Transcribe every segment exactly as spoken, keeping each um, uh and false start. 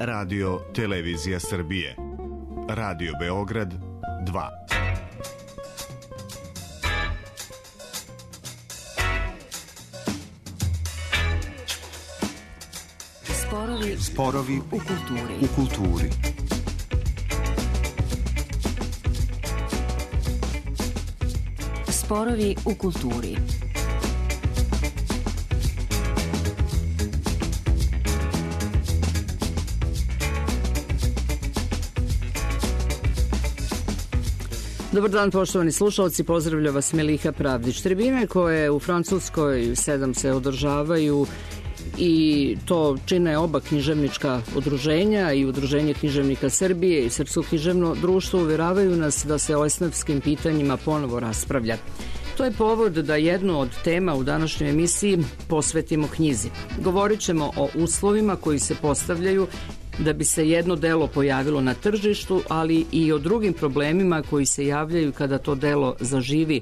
Radio Televizija Srbije. Radio Beograd dva. Sporovi, Sporovi u kulturi. U kulturi. Sporovi u kulturi. Dobar dan, poštovani slušalci, pozdravlja vas Meliha Pravdić. Tribine koje u Francuskoj sedam se održavaju i to čine oba književnička udruženja, i Udruženje književnika Srbije i Srpsko književno društvo, uvjeravaju nas da se o esnafskim pitanjima ponovo raspravlja. To je povod da jednu od tema u današnjoj emisiji posvetimo knjizi. Govorit ćemo o uslovima koji se postavljaju da bi se jedno delo pojavilo na tržištu, ali i o drugim problemima koji se javljaju kada to delo zaživi,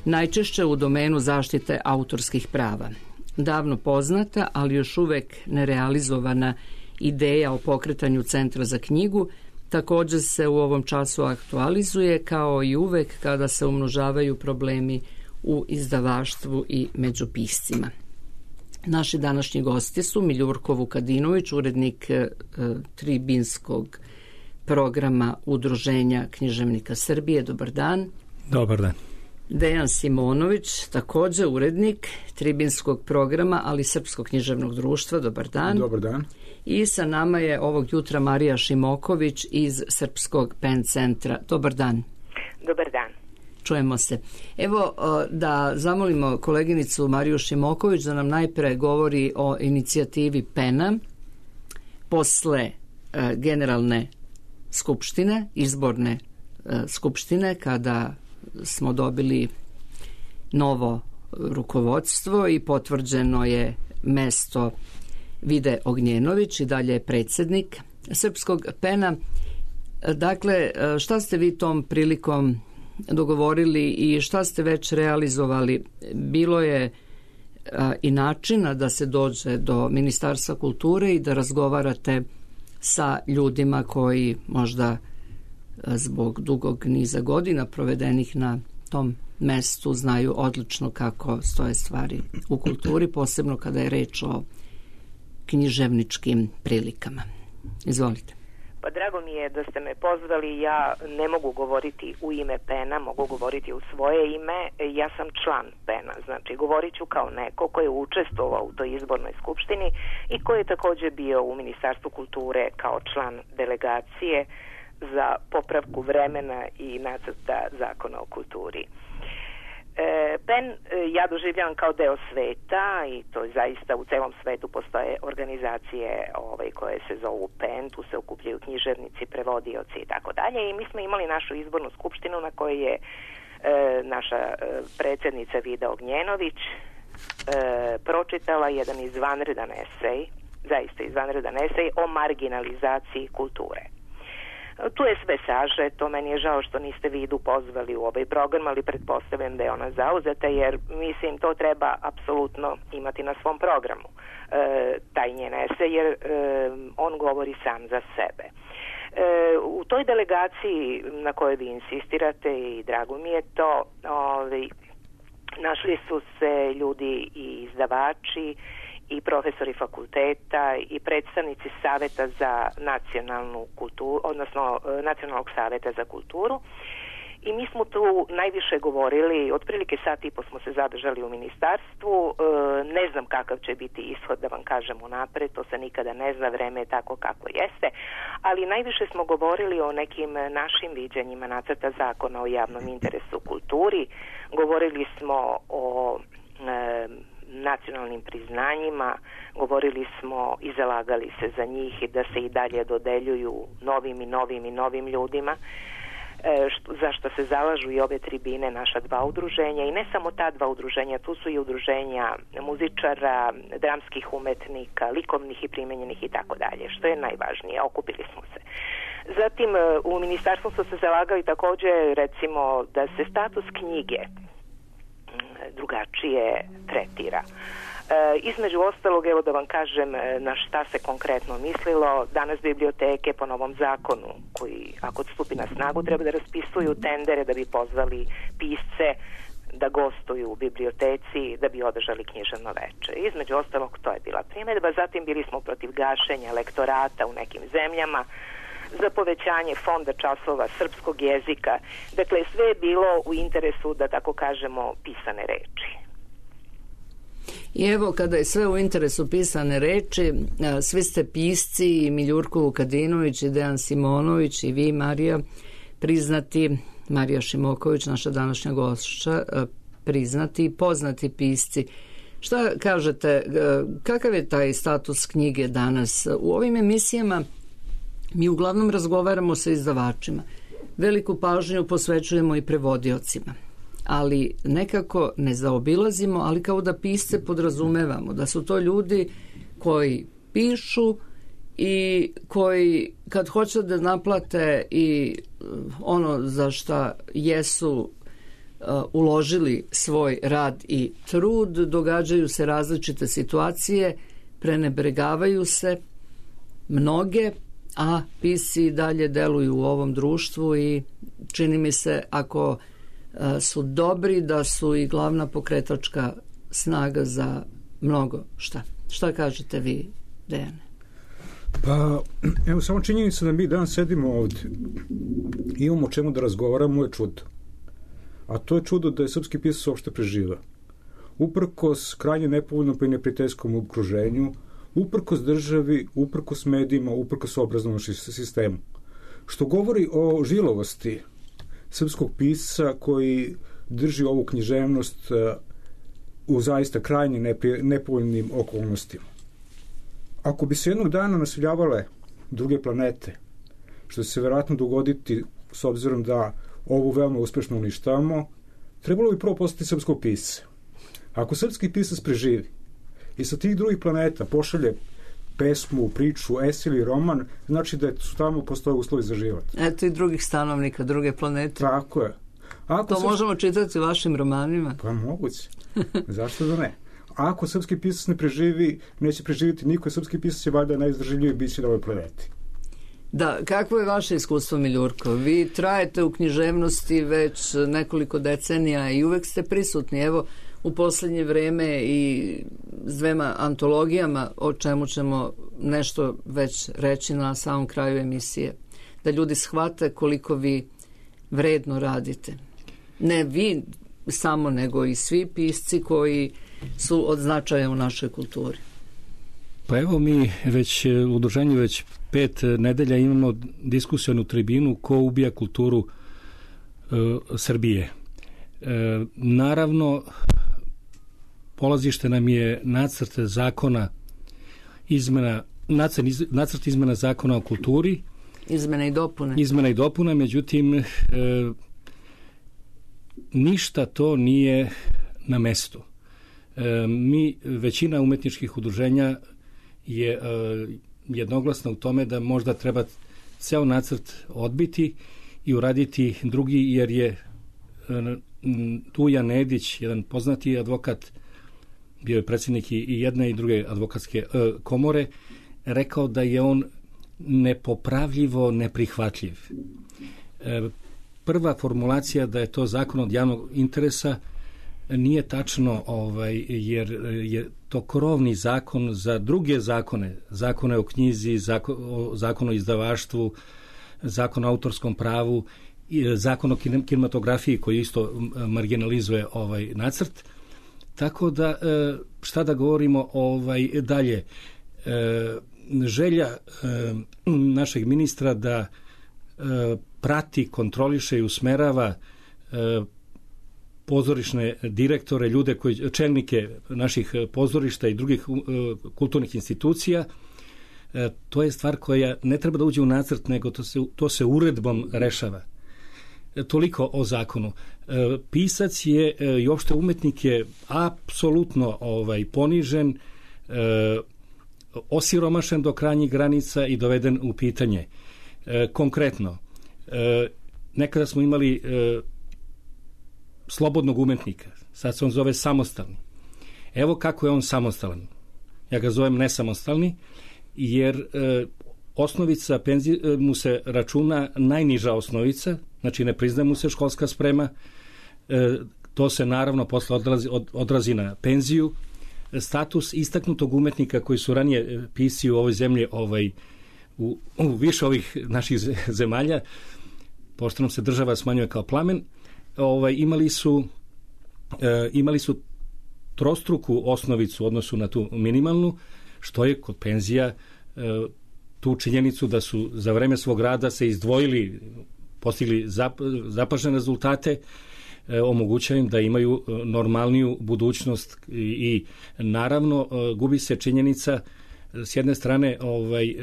najčešće u domenu zaštite autorskih prava. Davno poznata, ali još uvek nerealizovana ideja o pokretanju Centra za knjigu također se u ovom času aktualizuje, kao i uvek kada se umnožavaju problemi u izdavaštvu i među piscima. Naši današnji gosti su Miljurko Vukadinović, urednik e, tribinskog programa Udruženja književnika Srbije. Dobar dan. Dobar dan. Dejan Simonović, također urednik tribinskog programa, ali Srpskog književnog društva. Dobar dan. Dobar dan. I sa nama je ovog jutra Marija Šimoković iz Srpskog pen centra. Dobar dan. Dobar dan. Čujemo se. Evo da zamolimo koleginicu Mariju Šimoković da nam najpre govori o inicijativi pena posle generalne skupštine, izborne skupštine, kada smo dobili novo rukovodstvo i potvrđeno je mesto Vide Ognjenović i dalje je predsjednik Srpskog pena. Dakle, šta ste vi tom prilikom dogovorili i šta ste već realizovali? Bilo je a, i načina da se dođe do Ministarstva kulture i da razgovarate sa ljudima koji možda a, zbog dugog niza godina provedenih na tom mestu znaju odlično kako stoje stvari u kulturi, posebno kada je reč o književničkim prilikama. Izvolite. Pa drago mi je da ste me pozvali. Ja ne mogu govoriti u ime pena, mogu govoriti u svoje ime. Ja sam član pena, znači govorit ću kao neko ko je učestvovao u toj izbornoj skupštini i ko je također bio u Ministarstvu kulture kao član delegacije za popravku vremena i nacrta zakona o kulturi. E, PEN e, ja doživljavam kao deo sveta i to zaista u celom svetu postoje organizacije ovaj, koje se zovu PEN, tu se okupljaju književnici, prevodioci i tako dalje, i mi smo imali našu izbornu skupštinu na kojoj je e, naša e, predsjednica Vida Ognjenović e, pročitala jedan izvanredan esej, zaista izvanredan esej o marginalizaciji kulture. Tu je sve sažeto, meni je žao što niste Vidu pozvali u ovaj program, ali pretpostavljam da je ona zauzeta, jer mislim to treba apsolutno imati na svom programu, e, taj njen esej, jer e, on govori sam za sebe. E, u toj delegaciji na kojoj vi insistirate, i drago mi je to, ovaj, našli su se ljudi i izdavači i profesori fakulteta i predstavnici Saveta za nacionalnu kulturu, odnosno Nacionalnog saveta za kulturu, i mi smo tu najviše govorili, otprilike sat i po smo se zadržali u ministarstvu. Ne znam kakav će biti ishod, da vam kažem unapred, to se nikada ne zna, vreme je tako kako jeste, ali najviše smo govorili o nekim našim viđenjima nacrta zakona o javnom interesu u kulturi, govorili smo o e, nacionalnim priznanjima, govorili smo i zalagali se za njih i da se i dalje dodeljuju novim i novim i novim ljudima, e, što, za što se zalažu i ove tribine, naša dva udruženja, i ne samo ta dva udruženja, tu su i udruženja muzičara, dramskih umetnika, likovnih i primenjenih i tako dalje, što je najvažnije, okupili smo se. Zatim u ministarstvu su se zalagali također, recimo, da se status knjige drugačije tretira. Između ostalog, evo da vam kažem na šta se konkretno mislilo. Danas biblioteke po novom zakonu, koji ako stupi na snagu treba da raspisuju tendere da bi pozvali pisce da gostuju u biblioteci, da bi održali književno veče. Između ostalog, to je bila primjedba. Zatim bili smo protiv gašenja lektorata u nekim zemljama, za povećanje fonda časova srpskog jezika. Dakle, sve je bilo u interesu, da tako kažemo, pisane reči. I evo, kada je sve u interesu pisane reči, svi ste pisci, i Miljurko Vukadinović, i Dejan Simonović, i vi, Marija, priznati, Marija Šimoković, naša današnja gošća, priznati i poznati pisci. Šta kažete, kakav je taj status knjige danas? U ovim emisijama mi uglavnom razgovaramo sa izdavačima. Veliku pažnju posvećujemo i prevodiocima. Ali nekako ne zaobilazimo, ali kao da pisce podrazumevamo, da su to ljudi koji pišu i koji kad hoće da naplate i ono za šta jesu uh, uložili svoj rad i trud, događaju se različite situacije, prenebregavaju se mnoge, a pisci dalje deluju u ovom društvu i čini mi se, ako su dobri, da su i glavna pokretačka snaga za mnogo šta. Šta kažete vi, Dejane? Pa, evo, samo činjenica da mi danas sedimo ovdje i imamo o čemu da razgovaramo je čudo. A to je čudo da je srpski pisac uopšte preživao. Uprkos krajnje nepovoljnom pa i neprijateljskom okruženju, uprkos državi, uprkos medijima, uprkos obrazovnom sistemu. Što govori o žilovosti srpskog pisca koji drži ovu književnost u zaista krajnje nepovoljnim okolnostima. Ako bi se jednog dana naseljavale druge planete, što će se vjerojatno dogoditi s obzirom da ovu veoma uspešno uništavamo, trebalo bi prvo postati srpskog pisca. Ako srpski pisac preživi i sa tih drugih planeta pošalje pesmu, priču, esej ili roman, znači da su tamo postoje uslovi za život. Eto i drugih stanovnika, druge planete. Tako je. Ako to srpski... možemo čitati u vašim romanima. Pa moguće. Zašto da ne? Ako srpski pisac ne preživi, neće preživjeti niko, srpski pisac je valjda najizdržljiviji biće na ovoj planeti. Da, kakvo je vaše iskustvo, Miljurko? Vi trajete u književnosti već nekoliko decenija i uvek ste prisutni. Evo, u posljednje vreme i s dvema antologijama, o čemu ćemo nešto već reći na samom kraju emisije. Da ljudi shvate koliko vi vredno radite. Ne vi samo, nego i svi pisci koji su od značaja u našoj kulturi. Pa evo, mi već u udruženju već pet nedelja imamo diskusijonu tribinu ko ubija kulturu e, Srbije. E, naravno, polazište nam je nacrt zakona izmena, nacrt, nacrt izmena zakona o kulturi. Izmena i dopune. Izmena i dopuna, međutim, e, ništa to nije na mestu. E, mi, većina umetničkih udruženja je e, jednoglasna u tome da možda treba ceo nacrt odbiti i uraditi drugi, jer je e, Dujan Nedić, jedan poznati advokat, bio je predsjednik i jedne i druge advokatske e, komore, rekao da je on nepopravljivo neprihvatljiv. E, prva formulacija da je to zakon od javnog interesa nije tačno, ovaj, jer je to krovni zakon za druge zakone, zakone o knjizi, zakon o, zakon o izdavaštvu, zakon o autorskom pravu, zakon o kinematografiji koji isto marginalizuje ovaj nacrt. Tako da, šta da govorimo ovaj dalje, želja našeg ministra da prati, kontroliše i usmerava pozorišne direktore, ljude koji, čelnike naših pozorišta i drugih kulturnih institucija, to je stvar koja ne treba da uđe u nacrt, nego to se, to se uredbom rešava. Toliko o zakonu. Pisac je i uopšte umetnik je apsolutno ovaj, ponižen, osiromašen do krajnjih granica i doveden u pitanje. Konkretno, nekada smo imali slobodnog umetnika, sad se on zove samostalni. Evo kako je on samostalan. Ja ga zovem nesamostalni, jer e, osnovica penzije mu se računa najniža osnovica, znači ne priznaje mu se školska sprema, e, to se naravno posle odrazi, od, odrazi na penziju. Status istaknutog umetnika koji su ranije pisci u ovoj zemlji ovaj, u, u više ovih naših zemalja, pošto nam se država smanjuje kao plamen, ovaj, imali su e, imali su trostruku osnovicu u odnosu na tu minimalnu, što je kod penzija e, tu činjenicu da su za vreme svog rada se izdvojili, postigli zap, zapažene rezultate, e, omogućava im da imaju normalniju budućnost i, i naravno e, gubi se činjenica s jedne strane ovaj, e,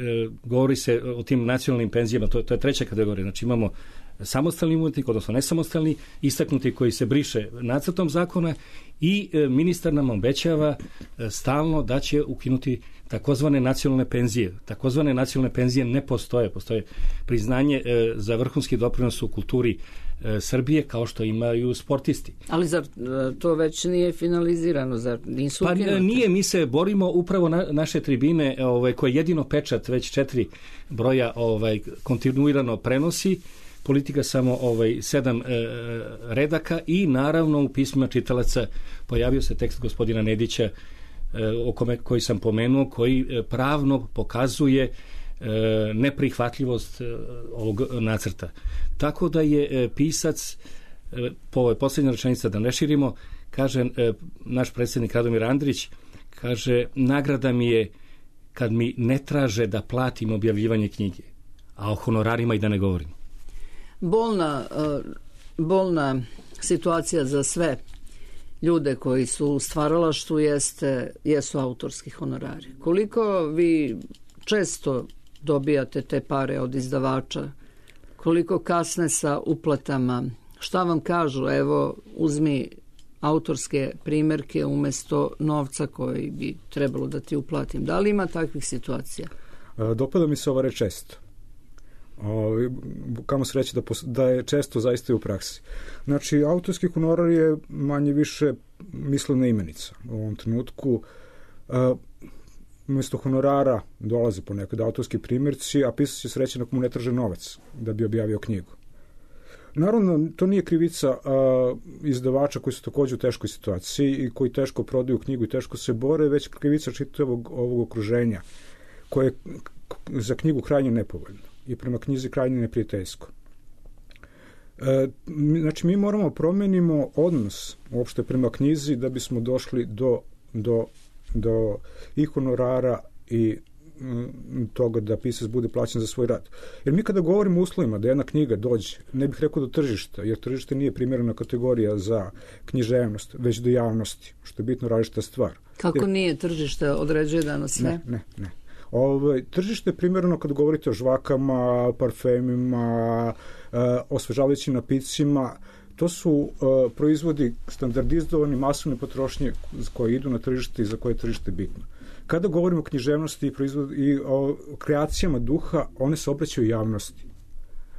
govori se o tim nacionalnim penzijama, to, to je treća kategorija, znači imamo samostalni umetnik, odnosno nesamostalni, istaknuti koji se briše nacrtom zakona i e, ministar nam obećava e, stalno da će ukinuti takozvane nacionalne penzije. Takozvane nacionalne penzije ne postoje. Postoje priznanje e, za vrhunski doprinos u kulturi e, Srbije, kao što imaju sportisti. Ali zar to već nije finalizirano? Zar nisu pa ukinuti? Nije, mi se borimo upravo na naše tribine ovaj, koje jedino pečat već četiri broja ovaj, kontinuirano prenosi, Politika samo ovaj sedam e, redaka i naravno u pismima čitalaca pojavio se tekst gospodina Nedića e, o kome, koji sam pomenuo, koji e, pravno pokazuje e, neprihvatljivost e, ovog nacrta. Tako da je e, pisac, e, po ovoj posljednja rečenica da ne širimo, kaže e, naš predsjednik Radomir Andrić, kaže, nagrada mi je kad mi ne traže da platim objavljivanje knjige, a o honorarima i da ne govorim. Bolna, bolna situacija za sve ljude koji su u stvaralaštvu jeste, jesu autorski honorari. Koliko vi često dobijate te pare od izdavača? Koliko kasne sa uplatama? Šta vam kažu? Evo, uzmi autorske primjerke umjesto novca koji bi trebalo da ti uplatim. Da li ima takvih situacija? Dopada mi se ova reč često. O, kamo se reći da, da je često zaista i u praksi. Znači, autorski honorar je manje više mislena imenica. U ovom trenutku a, umjesto honorara dolaze ponekad autorski primjerci, a pisac će srećan ako mu ne traže novac da bi objavio knjigu. Naravno, to nije krivica a, izdavača koji su također u teškoj situaciji i koji teško prodaju knjigu i teško se bore, već krivica čitavog ovog okruženja koje je za knjigu krajnje nepovoljno i prema knjizi krajnje neprijateljsko. E, znači, mi moramo promenimo odnos uopšte prema knjizi da bismo došli do, do, do i honorara i m, toga da pisac bude plaćen za svoj rad. Jer mi kada govorimo o uslovima da jedna knjiga dođe, ne bih rekao do tržišta, jer tržište nije primjerena kategorija za književnost, već do javnosti, što je bitno različita stvar. Kako jer, nije tržište određuje danas sve? Ne, ne, ne. Ove, tržište je primjerno kad govorite o žvakama, parfemima, e, osvežavajućim napitcima. To su e, proizvodi standardizovani masovne potrošnje koje idu na tržište i za koje je tržište bitno. Kada govorimo o književnosti i, proizvod, i o kreacijama duha, one se obraćaju javnosti.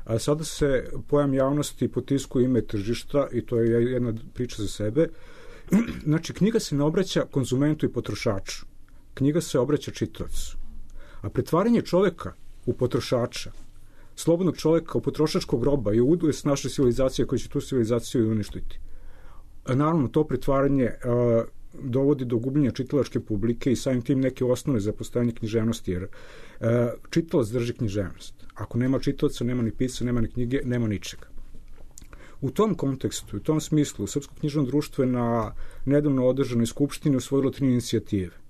A sada se pojam javnosti potiskuje ime tržišta i to je jedna priča za sebe. Znači, knjiga se ne obraća konzumentu i potrošaču. Knjiga se obraća čitaocu. A pretvaranje čoveka u potrošača, slobodnog čoveka u potrošačkog roba je udojest naše civilizacije koja će tu civilizaciju uništiti. A naravno, to pretvaranje a, dovodi do gubljenja čitalačke publike i samim tim neke osnove za postojanje književnosti, jer a, čitalac drži književnost. Ako nema čitalaca, nema ni pisca, nema ni knjige, nema ničega. U tom kontekstu, u tom smislu, Srpsko književno društvo je na nedavno održanoj skupštini usvojilo tri inicijative.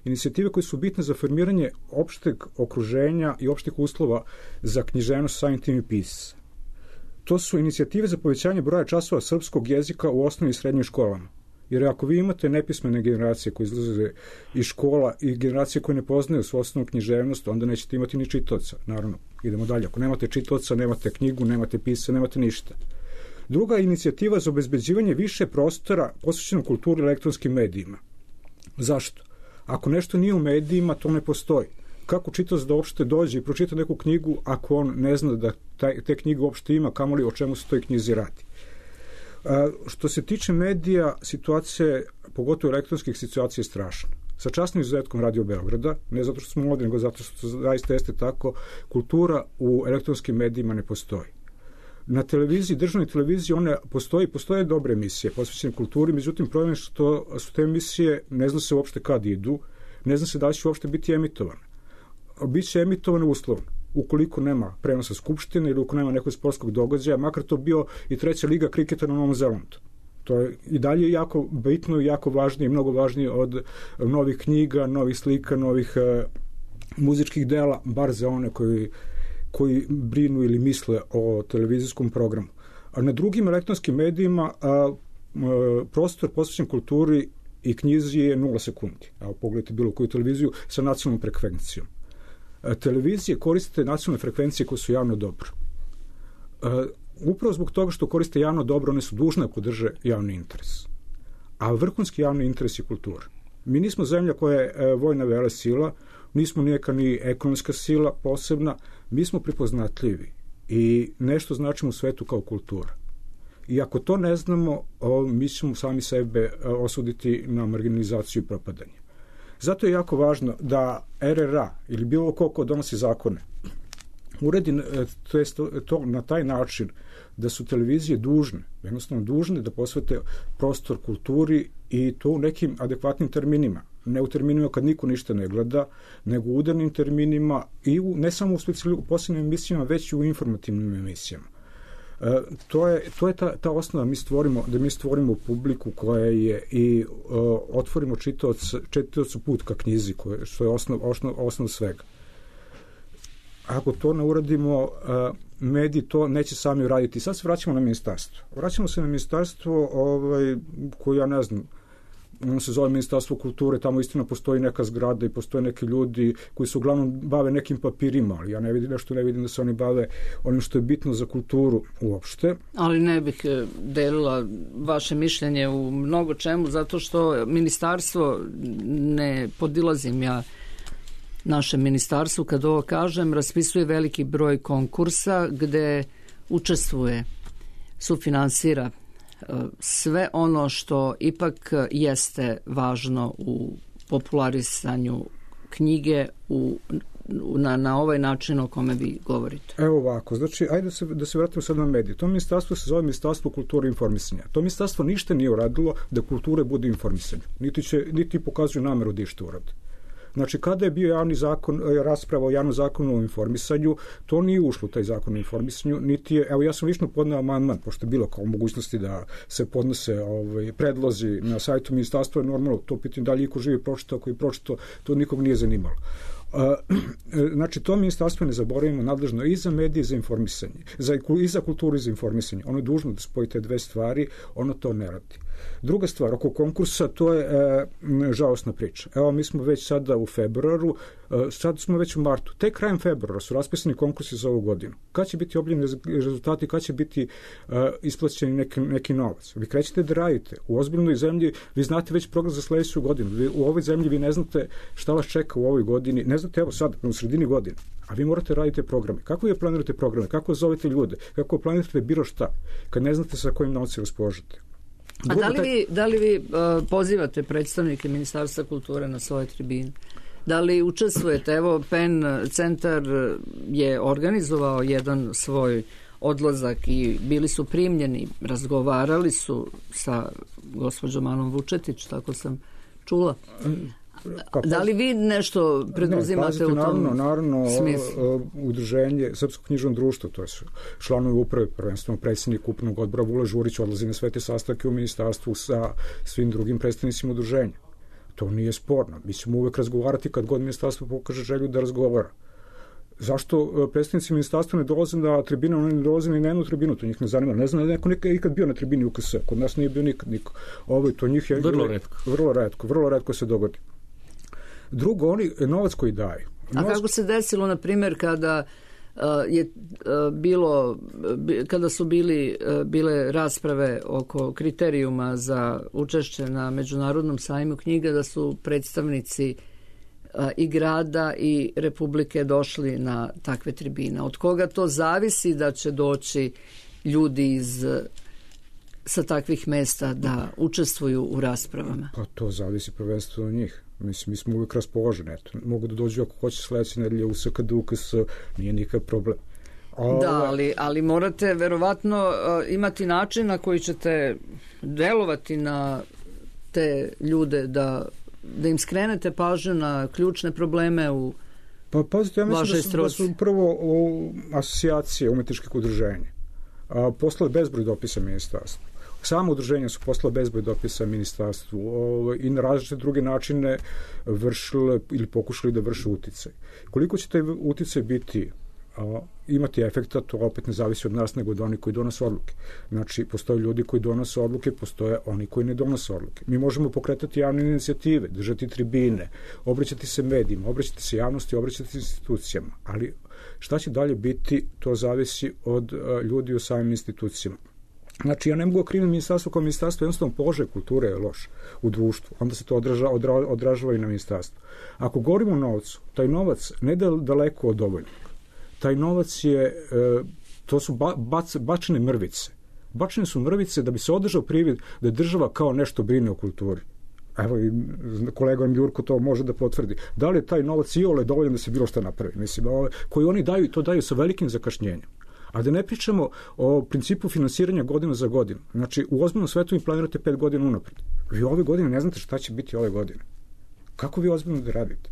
Inicijative koje su bitne za formiranje opšteg okruženja i opštih uslova za književnost, samim tim i pisca. To su inicijative za povećanje broja časova srpskog jezika u osnovnim i srednjim školama. Jer ako vi imate nepismene generacije koje izlaze iz škola i generacije koje ne poznaju svoju osnovnu književnost, onda nećete imati ni čitaoca. Naravno, idemo dalje. Ako nemate čitaoca, nemate knjigu, nemate pisca, nemate ništa. Druga inicijativa za obezbeđivanje više prostora posvećenog kulturi i elektronskim medijima. Zašto? Ako nešto nije u medijima, to ne postoji. Kako čitaoc da uopšte dođe i pročita neku knjigu ako on ne zna da taj, te knjige uopšte ima, kamoli o čemu se toj knjizi radi? Što se tiče medija, situacija, pogotovo elektronskih, situacija je strašna. Sa časnim izuzetkom Radio Beograda, ne zato što smo mladi, nego zato što zaista jeste tako, kultura u elektronskim medijima ne postoji. Na televiziji, državnoj televiziji, one postoji, postoje dobre emisije posvećene kulturi, međutim problem je što su te emisije, ne zna se uopšte kad idu, ne zna se da li će uopšte biti emitovane. Biće emitovane uslovno, ukoliko nema prenosa Skupštine ili ukoliko nema nekog sportskog događaja, makar to bio i treća liga kriketa na Novom Zelandu. To je i dalje jako bitno i jako važnije i mnogo važnije od novih knjiga, novih slika, novih uh, muzičkih dela, bar za one koji, koji brinu ili misle o televizijskom programu. A na drugim elektronskim medijima uh, uh, prostor posvećen kulturi i knjizi je nula sekundi. Evo, pogledajte bilo koju televiziju sa nacionalnom frekvencijom. Uh, televizije koriste nacionalne frekvencije koje su javno dobro. Uh, Upravo zbog toga što koriste javno dobro, one su dužne ako drže javni interes. A vrhunski javni interes je kultura. Mi nismo zemlja koja je e, vojna vele sila, nismo nijeka ni ekonomska sila posebna, mi smo prepoznatljivi i nešto značimo u svetu kao kultura. I ako to ne znamo, o, mi ćemo sami sebe o, osuditi na marginalizaciju i propadanje. Zato je jako važno da R R A ili bilo ko ko donosi zakone uredi to, jest, to na taj način da su televizije dužne, jednostavno dužne da posvete prostor kulturi i to u nekim adekvatnim terminima. Ne u terminima kad niko ništa ne gleda, nego u udarnim terminima i u, ne samo u, u posebnim emisijama, već i u informativnim emisijama. E, to je, to je ta, ta osnova mi stvorimo, da mi stvorimo publiku koja je i o, otvorimo čitaoc, čitaocu put ka knjizi, koje, što je osnov, osnov, osnov svega. Ako to ne uradimo, mediji to neće sami uraditi. Sad se vraćamo na ministarstvo. Vraćamo se na ministarstvo ovaj, koje ja ne znam, ono se zove Ministarstvo kulture, tamo istina postoji neka zgrada i postoje neki ljudi koji se uglavnom bave nekim papirima, ali ja ne vidim nešto, ne vidim da se oni bave onim što je bitno za kulturu uopšte. Ali ne bih delila vaše mišljenje u mnogo čemu, zato što ministarstvo, ne podilazim ja našem ministarstvu, kad ovo kažem, raspisuje veliki broj konkursa gde učestvuje, sufinansira sve ono što ipak jeste važno u popularisanju knjige u, na, na ovaj način o kome vi govorite. Evo ovako, znači, ajde da se, da se vratimo sad na medije. To ministarstvo se zove Ministarstvo kulture i informisanja. To ministarstvo ništa nije uradilo da kulture bude informisanje. Niti, će, niti pokazuju nameru da išta urade. Znači, kada je bio javni zakon, rasprava o javnom zakonu o informisanju, to nije ušlo u taj zakon o informisanju, niti je, evo ja sam lično podneo amandman, pošto je bilo kao mogućnosti da se podnose ovaj, predlozi na sajtu ministarstva, normalno, to pitanje da li iko živi pročito, ako je pročito, to nikog nije zanimalo. Znači, to ministarstvo, ne zaboravimo, nadležno i za medije i za informisanje, za, i za kulturu i za informisanje. Ono je dužno da spoji te dve stvari, ono to ne radi. Druga stvar, oko konkursa, to je e, žalostna priča. Evo, mi smo već sada u februaru, e, sad smo već u martu. Tek krajem februara su raspisani konkursi za ovu godinu. Kad će biti objavljeni rezultati, kad će biti e, isplaćeni neki, neki novac? Vi krećete da radite. U ozbiljnoj zemlji vi znate već program za sledeću godinu. Vi, u ovoj zemlji vi ne znate šta vas čeka u ovoj godini. Ne znate, evo sad, u sredini godine. A vi morate raditi programe. Kako vi planirate programe? Kako zovete ljude? Kako planirate bilo šta? Kad ne znate sa kojim novcem raspolažete? A da li vi, da li vi uh, pozivate predstavnike Ministarstva kulture na svoje tribine? Da li učestvujete? Evo, PEN centar je organizovao jedan svoj odlazak i bili su primljeni, razgovarali su sa gospođom Anom Vučetić, tako sam čula. Pa, da li vi nešto preduzimate ne, pazite, u tom naravno, naravno, smislu? Udruženje Srpsko knjižno društvo, to je članovi uprave, prvenstveno predsjednik upravnog odbora Vula Žurić odlazi na sve te sastanke u ministarstvu sa svim drugim predstavnicima udruženja. To nije sporno. Mi ćemo uvek razgovarati kad god ministarstvo pokaže želju da razgovara. Zašto predstavnici ministarstva ne dolaze na tribinu, oni ne dolaze ni na jednu tribinu, to njih ne zanima. Ne znam da neko nekad ikad bio na tribini U K S, kod nas nije bio nikad niko. Ovo, to njih je vrlo retko. Vrlo retko, vrlo retko se dogodi. Drugo, oni novac koji daju. Novac... A kako se desilo, na primjer, kada uh, je uh, bilo, b, kada su bili, uh, bile rasprave oko kriterijuma za učešće na Međunarodnom sajmu knjiga, da su predstavnici uh, i grada i Republike došli na takve tribine? Od koga to zavisi da će doći ljudi iz sa takvih mesta da učestvuju u raspravama? Pa to zavisi prvenstveno od njih. Mislim, mi smo uvijek raspoloženi. Eto, mogu da dođu ako hoće sledeće nedelje u S K D U K S, nije nikakav problem. A, da, ali, ali morate verovatno uh, imati način na koji ćete delovati na te ljude, da, da im skrenete pažnju na ključne probleme u pa, pazite, ja mislim da su, da su prvo o, asocijacije umetničkih udruženja a, poslale bezbroj dopisa ministarstvu. Samo udruženja su poslala bezbroj dopisa ministarstvu o, i na različite druge načine vršile ili pokušali da vrše uticaj. Koliko će taj uticaj biti a, imati efekta, to opet ne zavisi od nas nego od onih koji donose odluke. Znači, postoje ljudi koji donose odluke, postoje oni koji ne donose odluke. Mi možemo pokretati javne inicijative, držati tribine, obraćati se medijima, obraćati se javnosti, obraćati se institucijama, ali šta će dalje biti, to zavisi od a, ljudi u samim institucijama. Znači, ja ne mogu kriviti ministarstvo kao ministarstvo, jednostavno položaj kulture je loš u društvu, onda se to odraža, odra, odražava i na ministarstvo. Ako govorimo o novcu, taj novac ne da daleko od dovoljnog. Taj novac je, to su bac, bačene mrvice. Bačene su mrvice da bi se održao privid da je država kao nešto brine o kulturi. Evo, kolega Jurko to može da potvrdi. Da li je taj novac i ole dovoljan da se bilo što napravi? Mislim, koji oni daju, to daju sa velikim zakašnjenjem. A da ne pričamo o principu finansiranja godina za godinu. Znači, u ozbiljnom svetu vi planirate pet godina unapred. Vi ove godine ne znate šta će biti ove godine. Kako vi ozbiljno da radite?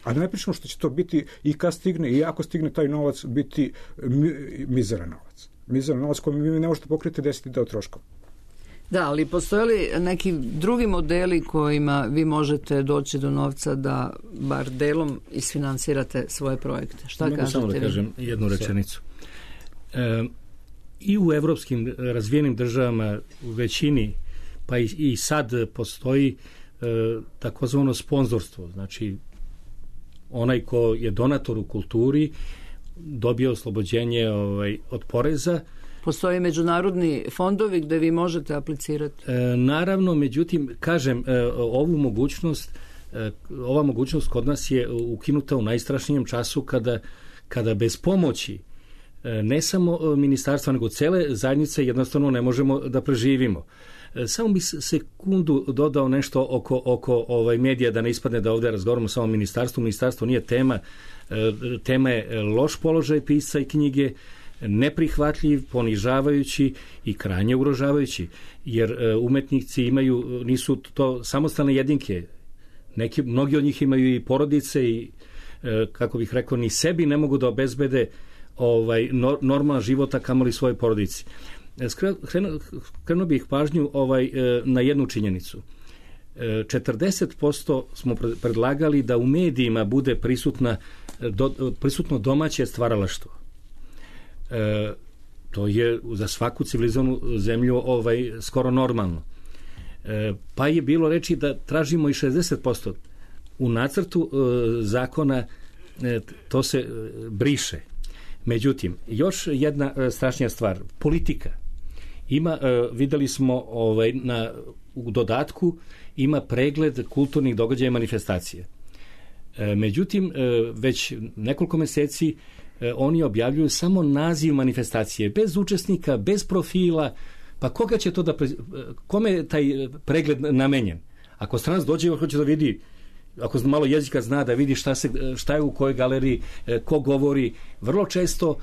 A da ne pričamo što će to biti i kad stigne i ako stigne taj novac biti mi, mizeran novac. Mizeran novac koji vi ne možete pokriti deset deo troškova. Da, ali postoje li neki drugi modeli kojima vi možete doći do novca da bar delom isfinansirate svoje projekte? Šta Mogu kažete samo da vi? kažem jednu rečenicu. E, I u evropskim razvijenim državama u većini, pa i, i sad postoji e, takozvano sponzorstvo. Znači, onaj ko je donator u kulturi dobije oslobođenje ovaj, od poreza. Postoje međunarodni fondovi gde vi možete aplicirati? E, naravno, međutim, kažem, e, ovu mogućnost, e, ova mogućnost kod nas je ukinuta u najstrašnijem času kada, kada bez pomoći e, ne samo ministarstva, nego cele zajednice jednostavno ne možemo da preživimo. E, samo bi sekundu dodao nešto oko, oko ovaj medija, da ne ispadne da ovde razgovaramo samo o ministarstvu. Ministarstvo nije tema. E, tema je loš položaj pisca i knjige, neprihvatljiv, ponižavajući i krajnje ugrožavajući, jer e, umetnici imaju, nisu to samostalne jedinke. Neki, mnogi od njih imaju i porodice i, e, kako bih rekao, ni sebi ne mogu da obezbede ovaj, no, normalan života, kamoli svoje porodici. Krenuo, krenuo bih pažnju ovaj, e, na jednu činjenicu. E, četrdeset posto smo predlagali da u medijima bude prisutna, do, prisutno domaće stvaralaštvo. E, to je za svaku civilizovanu zemlju ovaj, skoro normalno. E, pa je bilo reči da tražimo i šezdeset posto. U nacrtu e, zakona e, to se e, briše. Međutim, još jedna e, strašnija stvar. Politika. Ima, e, videli smo ovaj, na, u dodatku, ima pregled kulturnih događaja i manifestacije. E, međutim, e, već nekoliko meseci oni objavljuju samo naziv manifestacije, bez učesnika, bez profila. Pa koga će to da... Pre... Kome je taj pregled namenjen? Ako stranac dođe, hoće da vidi, ako malo jezika zna, da vidi šta, se, šta je u kojoj galeriji, ko govori. Vrlo često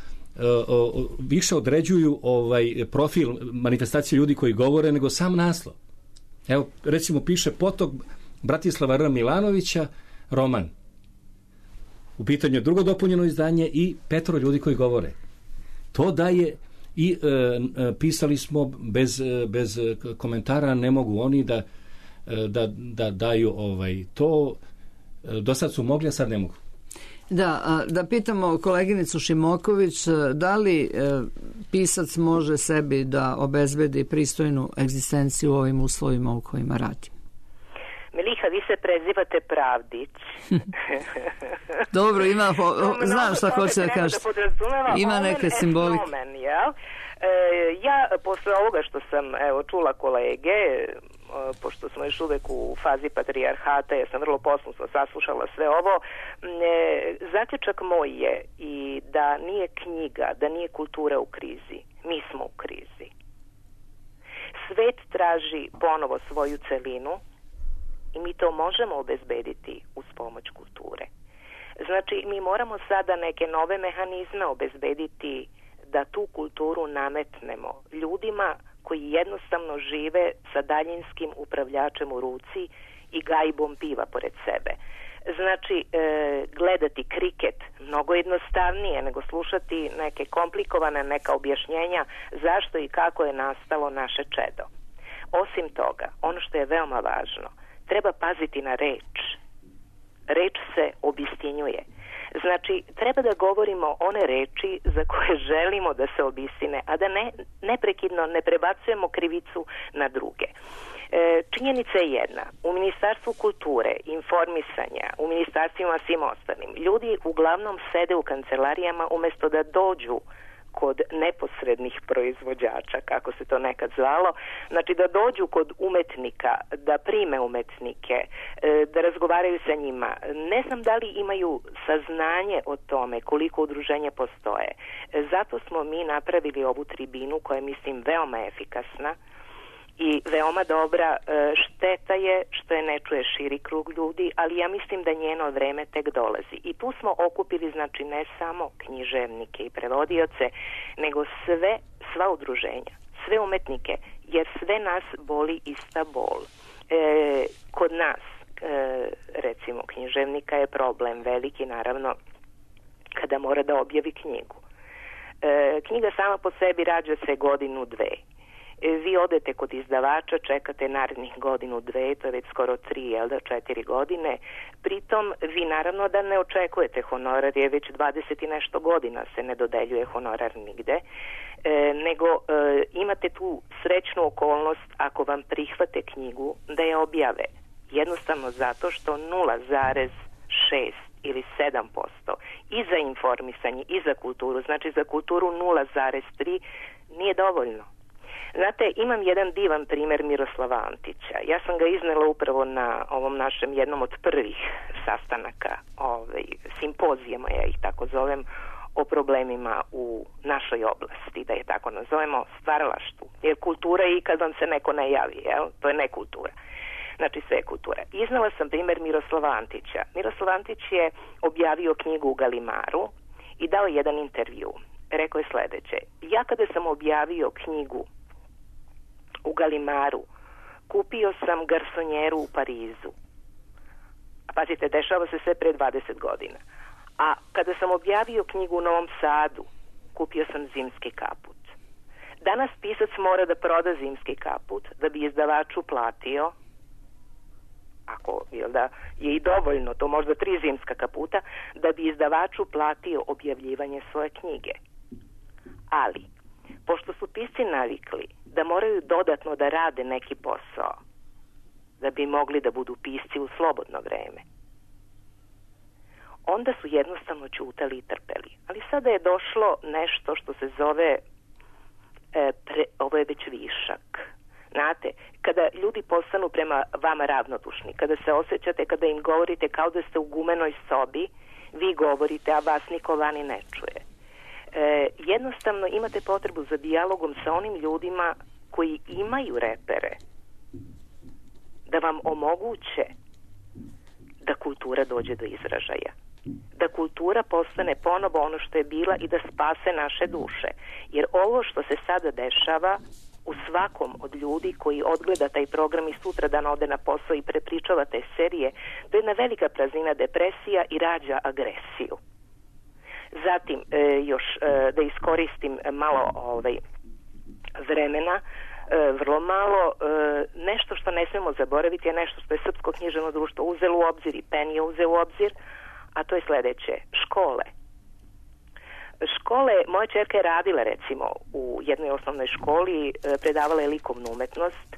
više određuju ovaj profil manifestacije ljudi koji govore nego sam naslov. Evo, recimo, piše Potok Bratislava R. Milanovića, roman. U pitanju je drugo dopunjeno izdanje i petoro ljudi koji govore. To daje i e, e, pisali smo bez, bez komentara, ne mogu oni da, da, da daju ovaj, to. Do sad su mogli, a sad ne mogu. Da, da pitamo koleginicu Šimoković, da li e, pisac može sebi da obezbedi pristojnu egzistenciju u ovim uslovima u kojima radi? Miliha, vi se prezivate Pravdić. Dobro, ima, po, o, znam šta hoće da kaže. Ima neke simbolike. Ja, posle ovoga što sam evo, čula kolege, pošto smo još uvek u fazi patrijarhata, ja sam vrlo poslusno saslušala sve ovo, zaključak moj je i da nije knjiga, da nije kultura u krizi. Mi smo u krizi. Svet traži ponovo svoju celinu i mi to možemo obezbediti uz pomoć kulture. Znači, mi moramo sada neke nove mehanizme obezbediti da tu kulturu nametnemo ljudima koji jednostavno žive sa daljinskim upravljačem u ruci i gajbom piva pored sebe. Znači, e, gledati kriket mnogo jednostavnije nego slušati neke komplikovane, neka objašnjenja zašto i kako je nastalo naše čedo. Osim toga, ono što je veoma važno, treba paziti na reč. Reč se obistinjuje. Znači, treba da govorimo one reči za koje želimo da se obistine, a da ne, neprekidno ne prebacujemo krivicu na druge. E, činjenica je jedna. U Ministarstvu kulture, informisanja, u ministarstvima svim ostalim, ljudi uglavnom sede u kancelarijama umesto da dođu kod neposrednih proizvođača, kako se to nekad zvalo, znači da dođu kod umetnika, da prime umetnike, da razgovaraju sa njima. Ne znam da li imaju saznanje o tome koliko udruženja postoje. Zato smo mi napravili ovu tribinu koja je, mislim, veoma efikasna i veoma dobra. Šteta je što je ne čuje širi krug ljudi, ali ja mislim da njeno vreme tek dolazi. I tu smo okupili, znači, ne samo književnike i prevodioce, nego sve, sva udruženja, sve umetnike, jer sve nas boli ista bol. E, kod nas, e, recimo, književnika je problem veliki, naravno, kada mora da objavi knjigu. E, knjiga sama po sebi rađa se godinu, dve. Vi odete kod izdavača, čekate narednih godinu, dve, to je već skoro tri, jel da, četiri godine. Pritom, vi naravno da ne očekujete honorar, jer već dvadeset i nešto godina se ne dodeljuje honorar nigde, e, nego e, imate tu srećnu okolnost ako vam prihvate knjigu da je objave. Jednostavno zato što nula zarez šest ili sedam posto i za informisanje i za kulturu, znači za kulturu nula zarez tri nije dovoljno. Znate, imam jedan divan primjer Miroslava Antića. Ja sam ga iznela upravo na ovom našem jednom od prvih sastanaka, ovaj, simpozijama, ja ih tako zovem, o problemima u našoj oblasti, da je tako nazovemo, stvaralaštvu. Jer kultura je i kad vam se neko ne javi, jel? To je nekultura. Znači, sve je kultura. Iznela sam primjer Miroslava Antića. Miroslav Antić je objavio knjigu u Galimaru i dao jedan intervju. Rekao je sledeće: ja kada sam objavio knjigu u Galimaru, kupio sam garsonjeru u Parizu. A pazite, dešava se sve pre dvadeset godina. A kada sam objavio knjigu u Novom Sadu, kupio sam zimski kaput. Danas pisac mora da proda zimski kaput da bi izdavaču platio, ako jel da, je i dovoljno, to možda tri zimska kaputa, da bi izdavaču platio objavljivanje svoje knjige. Ali, pošto su pisci navikli da moraju dodatno da rade neki posao da bi mogli da budu pisci u slobodno vreme, onda su jednostavno ćutali i trpeli. Ali sada je došlo nešto što se zove e, pre, ovo je već višak. Znate, kada ljudi postanu prema vama ravnodušni, kada se osjećate, kada im govorite kao da ste u gumenoj sobi, vi govorite, a vas niko vani ne čuje. E, jednostavno imate potrebu za dijalogom sa onim ljudima koji imaju repere da vam omoguće da kultura dođe do izražaja, da kultura postane ponovo ono što je bila i da spase naše duše. Jer ovo što se sada dešava u svakom od ljudi koji odgleda taj program i sutra dan ode na posao i prepričava te serije, to je jedna velika praznina, depresija i rađa agresiju. Zatim, e, još e, da iskoristim malo ovaj, vremena, e, vrlo malo, e, nešto što ne smemo zaboraviti je nešto što je Srpsko književno društvo uzelo u obzir i Pen je uzeo u obzir, a to je sledeće: škole. Škole, moja ćerka je radila recimo u jednoj osnovnoj školi, predavala je likovnu umetnost.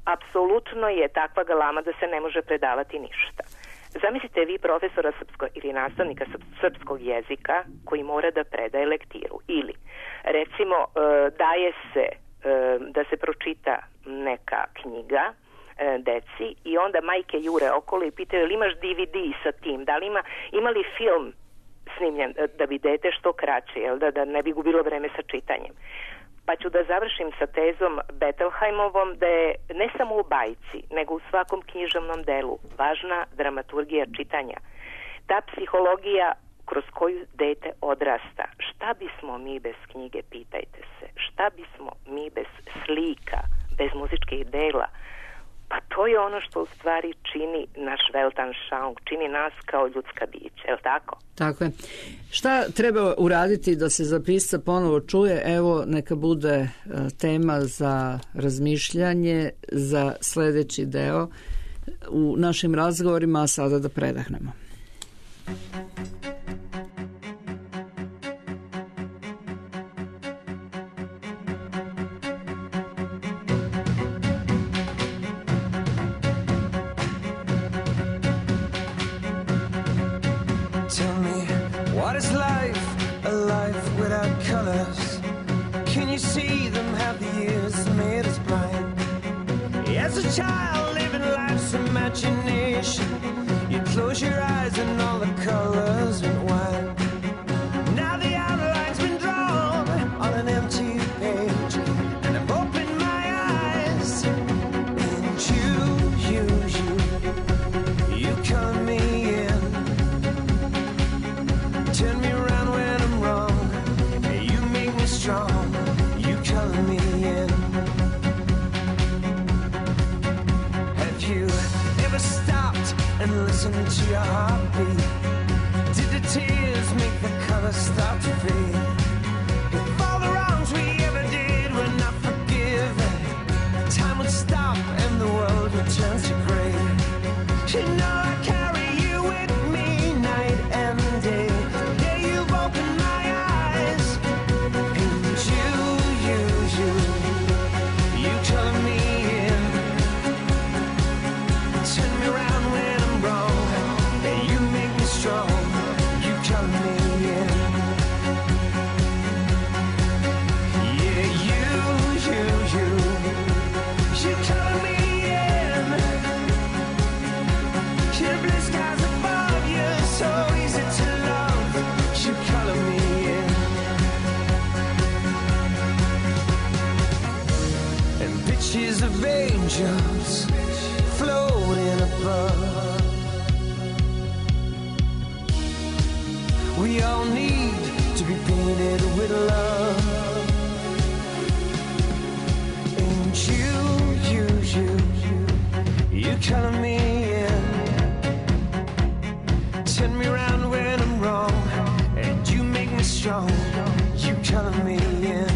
Apsolutno je takva galama da se ne može predavati ništa. Zamislite vi profesora srpsko, ili nastavnika srpskog jezika koji mora da predaje lektiru. Ili, recimo, daje se da se pročita neka knjiga deci i onda majke jure okolo i pitaju: ili imaš D V D sa tim, da li ima, ima li film snimljen, da bi dete što kraće, jel da, da ne bi gubilo vreme sa čitanjem. Pa ću da završim sa tezom Bettelheimovom da je ne samo u bajci, nego u svakom književnom delu važna dramaturgija čitanja. Ta psihologija kroz koju dete odrasta. Šta bismo mi bez knjige, pitajte se? Šta bismo mi bez slika, bez muzičkih dela? Pa to je ono što u stvari čini naš Weltanschauung, čini nas kao ljudska bića, je li tako? Tako je. Šta treba uraditi da se za pisca ponovo čuje? Evo, neka bude tema za razmišljanje za sledeći deo u našim razgovorima, a sada da predahnemo. As a child living life's imagination, you close your eyes and all the colors went wild. Now the outline's been drawn on an empty page, and I've opened my eyes, and you, you, you, you color me in, turn me around when I'm wrong, you make me strong, you color me in. Stopped and listened to your heartbeat? Did the tears make the colors start to fade? If all the wrongs we ever did were not forgiven, time would stop and the world would turn to gray. You know I carry you with me night and day. Yeah, you've opened my eyes, and you, you, you, you color me in. Turn me around when I'm wrong, and you make me strong, you color me in. Yeah, you, you, you, you color me in. Your blue skies above you, so easy to love, you color me in. And pictures of angels floating above. We all need to be painted with love. And you, you, you, you color me in. Turn me around when I'm wrong, and you make me strong, you color me in.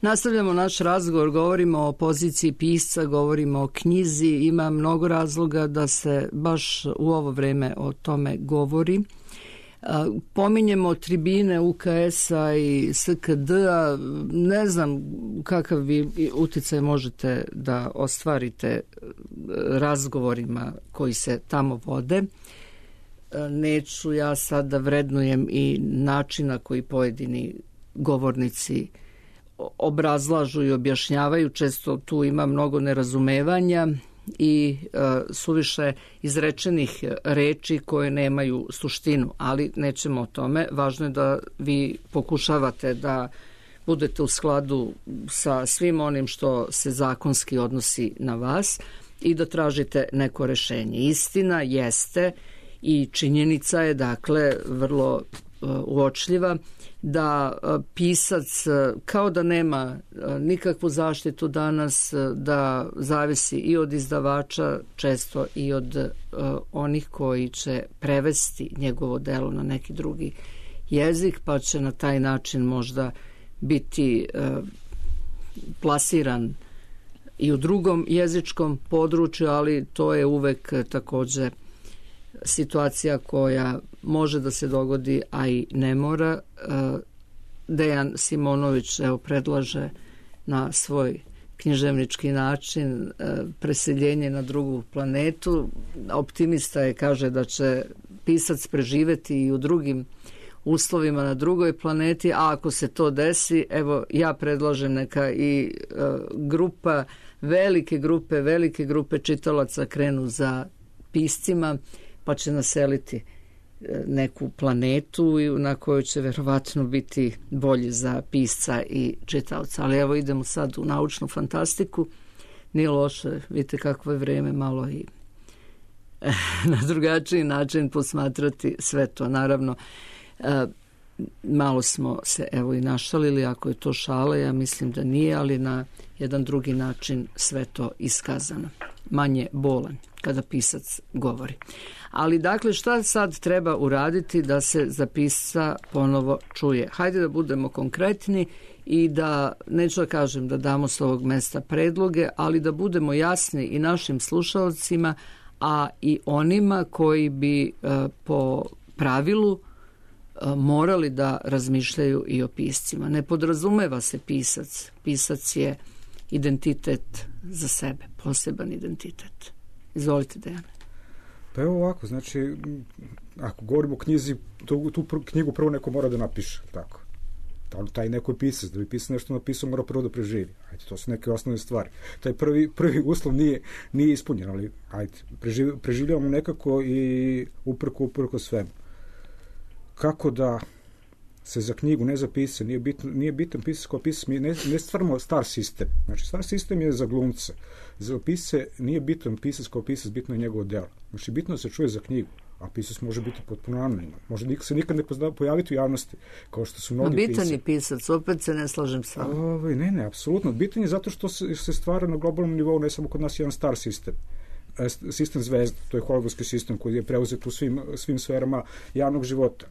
Nastavljamo naš razgovor, govorimo o poziciji pisca, govorimo o knjizi, ima mnogo razloga da se baš u ovo vreme o tome govori. Pominjemo tribine U K S-a i S K D-a, ne znam kakav vi uticaj možete da ostvarite razgovorima koji se tamo vode. Neću ja sad da vrednujem i načina koji pojedini govornici obrazlažu i objašnjavaju, često tu ima mnogo nerazumevanja i e, suviše izrečenih reči koje nemaju suštinu, ali nećemo o tome. Važno je da vi pokušavate da budete u skladu sa svim onim što se zakonski odnosi na vas i da tražite neko rešenje. Istina jeste i činjenica je, dakle, vrlo uočljiva da pisac kao da nema nikakvu zaštitu danas, da zavisi i od izdavača, često i od onih koji će prevesti njegovo delo na neki drugi jezik, pa će na taj način možda biti plasiran i u drugom jezičkom području, ali to je uvek takođe situacija koja može da se dogodi, a i ne mora. Dejan Simonović evo predlaže na svoj književnički način preseljenje na drugu planetu. Optimista je, kaže da će pisac preživeti i u drugim uslovima na drugoj planeti, a ako se to desi, evo ja predlažem neka i grupa, velike grupe, velike grupe čitalaca krenu za piscima, pa će naseliti neku planetu na kojoj će verovatno biti bolje za pisca i čitaoca. Ali evo idemo sad u naučnu fantastiku. Nije loše, vidite kakvo je vreme, malo i na drugačiji način posmatrati sve to. Naravno, malo smo se evo i našalili, ako je to šala, ja mislim da nije, ali na jedan drugi način sve to iskazano. Manje bolan kada pisac govori. Ali dakle, šta sad treba uraditi da se za pisca ponovo čuje? Hajde da budemo konkretni i da, neću da kažem da damo s ovog mesta predloge, ali da budemo jasni i našim slušalcima, a i onima koji bi po pravilu morali da razmišljaju i o piscima. Ne podrazumeva se pisac. Pisac je identitet za sebe, poseban identitet. Izvolite, Dejane. Pa evo ovako, znači, ako govorimo o knjizi, tu, tu knjigu prvo neko mora da napiše, tako. Taj neko je pisac, da bi pisac nešto napisao, mora prvo da preživi. Ajde, to su neke osnovne stvari. Taj prvi, prvi uslov nije, nije ispunjen, ali ajde, preživ, preživljavamo nekako i uprko, uprko svemu. Kako da se za knjigu ne zapise, nije, bitno, nije bitan pisac kao pisac, mi ne, ne stvaramo star sistem. Znači, star sistem je za glumce. Za pise nije bitan pisac kao pisac, bitno je njegovo delo. Znači, bitno se čuje za knjigu, a pisac može biti potpuno anoniman. Može se nikad ne pozna, pojaviti u javnosti, kao što su mnogi pisci. Bitan je pisac, opet se ne slažem sa ovim. Ne, ne, apsolutno. Bitan je zato što se, se stvara na globalnom nivou, ne samo kod nas, jedan star sistem. Sistem zvezda, to je hollywoodski sistem koji je preuzet u svim, svim sferama javnog života.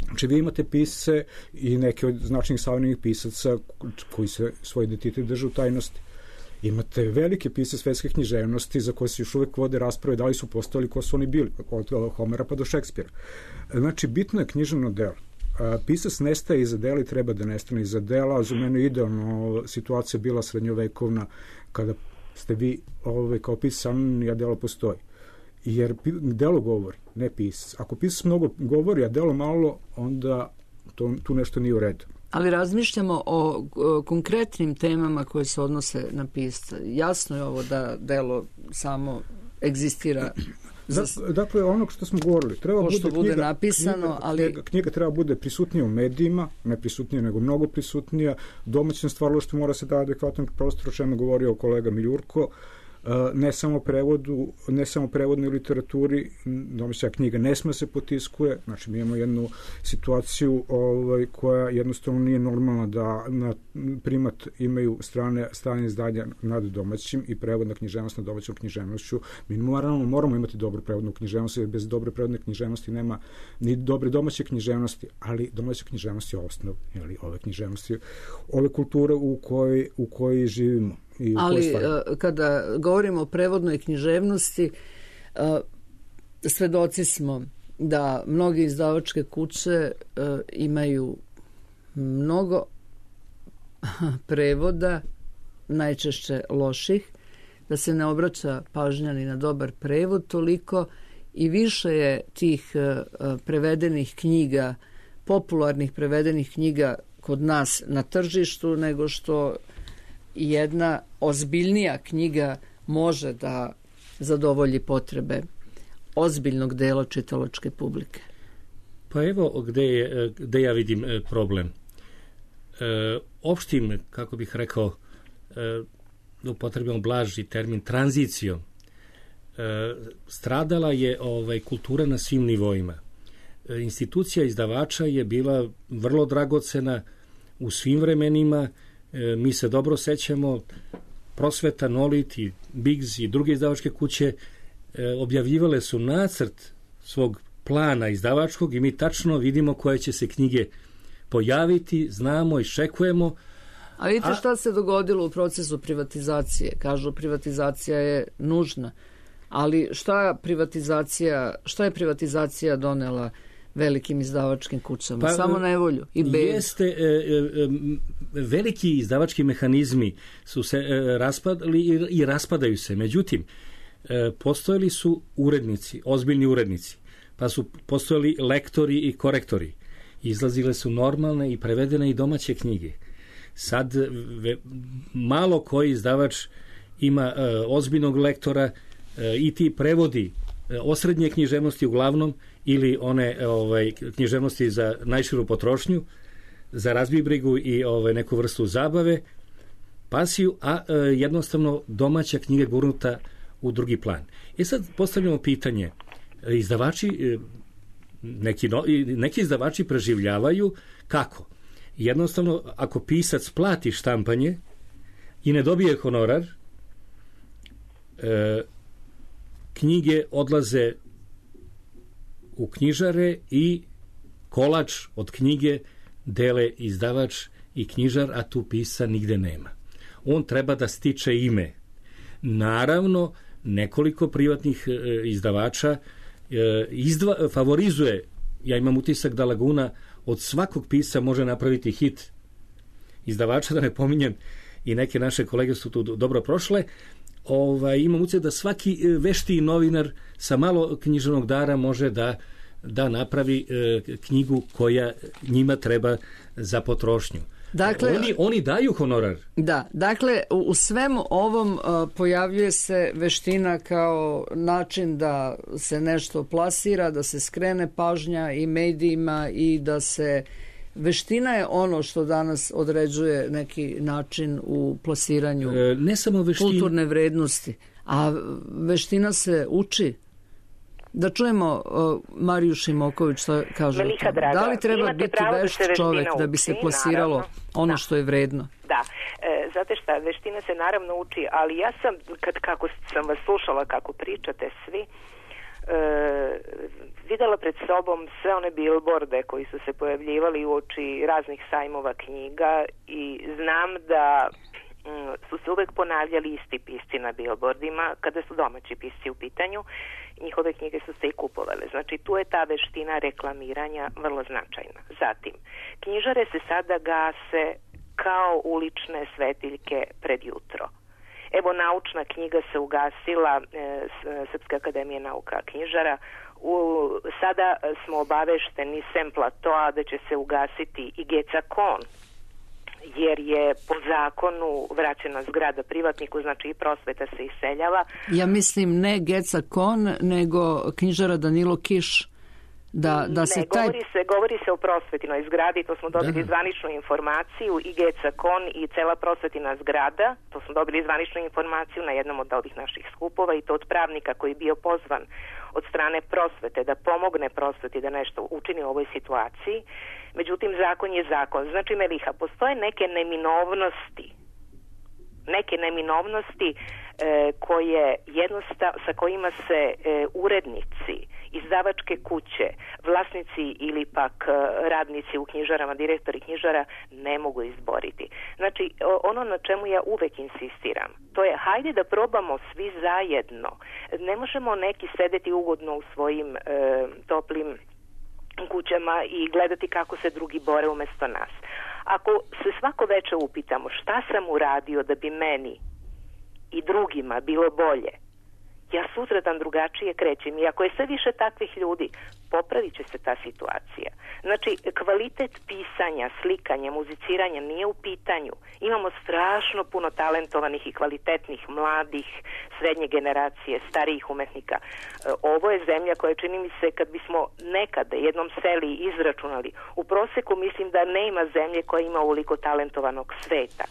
Znači, vi imate pisce i neke od značajnih savremenih pisaca koji se svoj identitet drže u tajnosti. Imate velike pisce svetske književnosti za koje se još uvek vode rasprave da li su postojali, ko su oni bili, od Homera pa do Šekspira. Znači, bitno je književno delo. Pisac nestaje iza dela i treba da nestane iza dela. Za mene idealno situacija bila srednjovekovna, kada ste vi ovaj, kao pisac anonimni, a delo postoji. Jer delo govori, ne pisac. Ako pisac mnogo govori, a delo malo, onda to, tu nešto nije u redu. Ali razmišljamo o, o konkretnim temama koje se odnose na pisca. Jasno je ovo da delo samo egzistira. Za... Dakle, ono što smo govorili, treba bude, bude knjiga, napisano, knjiga, ali... knjiga, knjiga treba bude prisutnija u medijima, ne prisutnija nego mnogo prisutnija. Domaćem stvaralaštvu mora se da adekvatan prostor, o čemu govorio kolega Miljurko. Ne samo prevodu, ne samo prevodnoj literaturi, domaća knjiga ne sme se potiskuje, znači mi imamo jednu situaciju ovaj, koja jednostavno nije normalna da na primat imaju strane, strane izdanja nad domaćim i prevodna književnost nad domaćom književnošću. Mi moramo, moramo imati dobru prevodnu književnost, jer bez dobre prevodne književnosti nema ni dobre domaće književnosti, ali domaća književnost je osnov, jeli, ove književnosti, ove kulture u kojoj, u kojoj živimo. Ali kada govorimo o prevodnoj književnosti, svedoci smo da mnoge izdavačke kuće imaju mnogo prevoda, najčešće loših, da se ne obraća pažnja ni na dobar prevod toliko i više je tih prevedenih knjiga, popularnih prevedenih knjiga kod nas na tržištu nego što jedna ozbiljnija knjiga može da zadovolji potrebe ozbiljnog dela čitalačke publike. Pa evo gde, je, gde ja vidim problem. E, opštim, kako bih rekao, e, da upotrebimo blaži termin, tranzicijom, e, stradala je ovaj, kultura na svim nivoima. E, institucija izdavača je bila vrlo dragocena u svim vremenima. E, mi se dobro sećamo, Prosveta, Nolit i Biggs i druge izdavačke kuće e, objavljivale su nacrt svog plana izdavačkog i mi tačno vidimo koje će se knjige pojaviti, znamo, iščekujemo. A vidite A- šta se dogodilo u procesu privatizacije? Kažu privatizacija je nužna, ali šta privatizacija, šta je privatizacija donela velikim izdavačkim kućama? Pa, Samo nevolju i bedu. Jeste, e, e, veliki izdavački mehanizmi su se e, raspadali i, i raspadaju se. Međutim, e, postojali su urednici, ozbiljni urednici, pa su postojali lektori i korektori. Izlazile su normalne i prevedene i domaće knjige. Sad ve, malo koji izdavač ima e, ozbiljnog lektora e, i ti prevodi e, osrednje književnosti uglavnom ili one ovaj, književnosti za najširu potrošnju, za razbibrigu i ovaj, neku vrstu zabave, pasiju, a e, jednostavno domaća knjiga gurnuta u drugi plan. I sad postavljamo pitanje, izdavači, e, neki, no, neki izdavači preživljavaju kako? Jednostavno, ako pisac plati štampanje i ne dobije honorar, e, knjige odlaze u knjižare i kolač od knjige dele izdavač i knjižar, a tu pisa nigde nema. On treba da stiče ime. Naravno, nekoliko privatnih e, izdavača e, izdva, favorizuje, ja imam utisak da Laguna od svakog pisa može napraviti hit izdavača, da ne pominjem i neke naše kolege su tu dobro prošle. Ovaj, imam utisak da svaki veštiji novinar sa malo književnog dara može da, da napravi e, knjigu koja njima treba za potrošnju. Dakle, oni, oni daju honorar. Da, dakle, u, u svemu ovom uh, pojavljuje se veština kao način da se nešto plasira, da se skrene pažnja i medijima i da se... Veština je ono što danas određuje neki način u plasiranju e, ne samo veština, kulturne vrednosti, a veština se uči. Da čujemo uh, Mariju Šimoković što kaže. Melika draga, da li treba biti vešt čovek da bi se plasiralo naravno, ono da. što je vredno? Da, e, znate šta, veština se naravno uči, ali ja sam, kad, kako sam vas slušala kako pričate svi, E, videla pred sobom sve one bilborde koji su se pojavljivali uoči raznih sajmova knjiga i znam da m, su se uvek ponavljali isti pisci na bilbordima kada su domaći pisci u pitanju. Njihove knjige su se i kupovale. Znači tu je ta veština reklamiranja vrlo značajna. Zatim, knjižare se sada gase kao ulične svetiljke pred jutro. Evo, naučna knjiga se ugasila, e, Srpska akademija nauka knjižara. U, sada smo obavešteni sem Platoa da će se ugasiti i Gecakon, jer je po zakonu vraćena zgrada privatniku, znači i prosveta se iseljava. Ja mislim ne Gecakon, nego knjižara Danilo Kiš. Da, da se ne, taj... govori, se, govori se o prosvetinoj zgradi, to smo dobili da. zvaničnu informaciju, i Gecakon i cela prosvetina zgrada, to smo dobili zvaničnu informaciju na jednom od ovih naših skupova i to od pravnika koji je bio pozvan od strane prosvete da pomogne prosveti da nešto učini u ovoj situaciji. Međutim, zakon je zakon. Znači, Meliha, postoje neke neminovnosti, neke neminovnosti e, koje jednostav, sa kojima se e, urednici, izdavačke kuće, vlasnici ili pak radnici u knjižarama, direktori knjižara ne mogu izboriti. Znači, ono na čemu ja uvek insistiram, to je hajde da probamo svi zajedno. Ne možemo neki sedeti ugodno u svojim e, toplim kućama i gledati kako se drugi bore umesto nas. Ako se svako veče upitamo šta sam uradio da bi meni i drugima bilo bolje, ja sutradan drugačije krećem i ako je sve više takvih ljudi, popravit će se ta situacija. Znači, kvalitet pisanja, slikanja, muziciranja nije u pitanju. Imamo strašno puno talentovanih i kvalitetnih mladih, srednje generacije, starijih umetnika. Ovo je zemlja koja, čini mi se, kad bismo nekada jednom seli izračunali, u proseku mislim da ne ima zemlje koja ima ovoliko talentovanog sveta.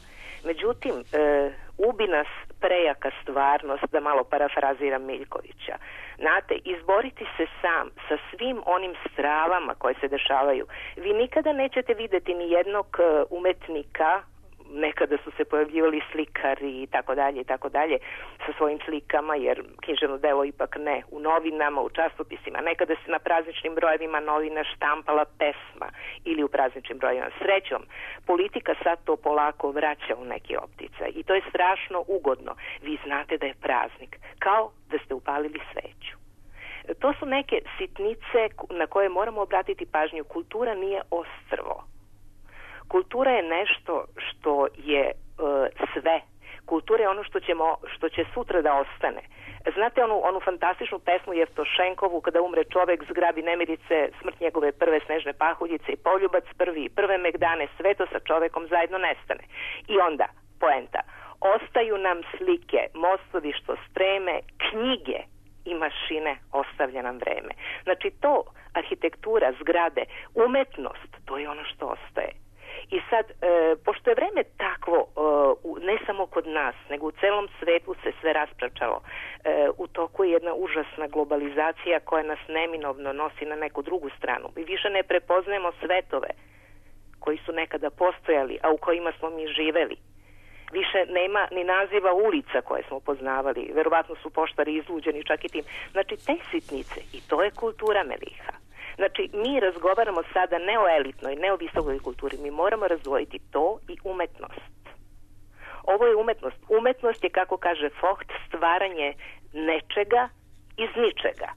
Međutim, e, ubi nas prejaka stvarnost, da malo parafraziram Miljkovića. Znate, izboriti se sam sa svim onim stravama koje se dešavaju. Vi nikada nećete videti ni jednog umetnika, nekada su se pojavljivali slikari i tako dalje i tako dalje sa svojim slikama, jer književno delo ipak ne u novinama, u časopisima. Nekada se na prazničnim brojevima novina štampala pesma ili u prazničnim brojevima. Srećom, politika sad to polako vraća u neki opticaj i to je strašno ugodno. Vi znate da je praznik, kao da ste upalili sveću. To su neke sitnice na koje moramo obratiti pažnju. Kultura nije ostrvo. Kultura je nešto što je e, sve. Kultura je ono što, ćemo, što će sutra da ostane. Znate onu, onu fantastičnu pesmu Jevtošenkovu, kada umre čovek, zgrabi nemirice, smrt njegove prve snežne pahuljice i poljubac prvi, prve megdane, sve to sa čovekom zajedno nestane. I onda, poenta, ostaju nam slike, mostovi što streme, knjige i mašine, ostavlja nam vreme. Znači to, arhitektura, zgrade, umetnost, to je ono što ostaje. I sad, e, pošto je vreme takvo, e, ne samo kod nas, nego u celom svetu se sve raspračalo, e, u toku je jedna užasna globalizacija koja nas neminovno nosi na neku drugu stranu. Mi više ne prepoznajemo svetove koji su nekada postojali, a u kojima smo mi živeli. Više nema ni naziva ulica koje smo poznavali. Verovatno su poštari izluđeni čak i tim. Znači, te sitnice, i to je kultura, Meliha. Znači, mi razgovaramo sada ne o elitnoj, ne o visokoj kulturi. Mi moramo razdvojiti to i umetnost. Ovo je umetnost. Umetnost je, kako kaže Vogt, stvaranje nečega iz ničega.